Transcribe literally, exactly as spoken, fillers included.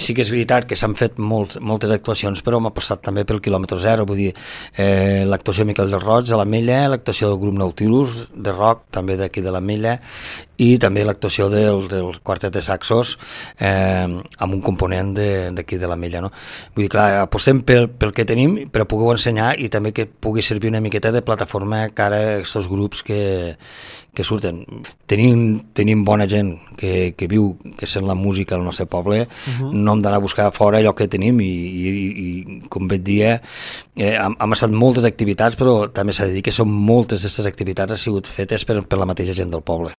sí que és veritat que s'han fet molt, moltes actuacions, però m'ha passat també pel quilòmetre zero, vull dir, eh, l'actuació de Miquel del Roig de l'Ametlla, l'actuació del grup Nautilus de rock, també d'aquí de l'Ametlla, i també l'actuació del, del quartet de saxos eh, amb un component d'aquí de, de l'Ametlla, no? Vull dir, clar, apostem pel, pel que tenim, però pugueu ensenyar i també que pugui servir una miqueta de plataforma cara a aquests grups que, que surten. Tenim, tenim bona gent que, que viu, que sent la música al nostre poble, uh-huh. No hem d'anar a buscar fora allò que tenim i, i, i com bé et dia, eh, hem, hem estat moltes activitats, però també s'ha de dir que són moltes d'aquestes activitats han sigut fetes per, per la mateixa gent del poble.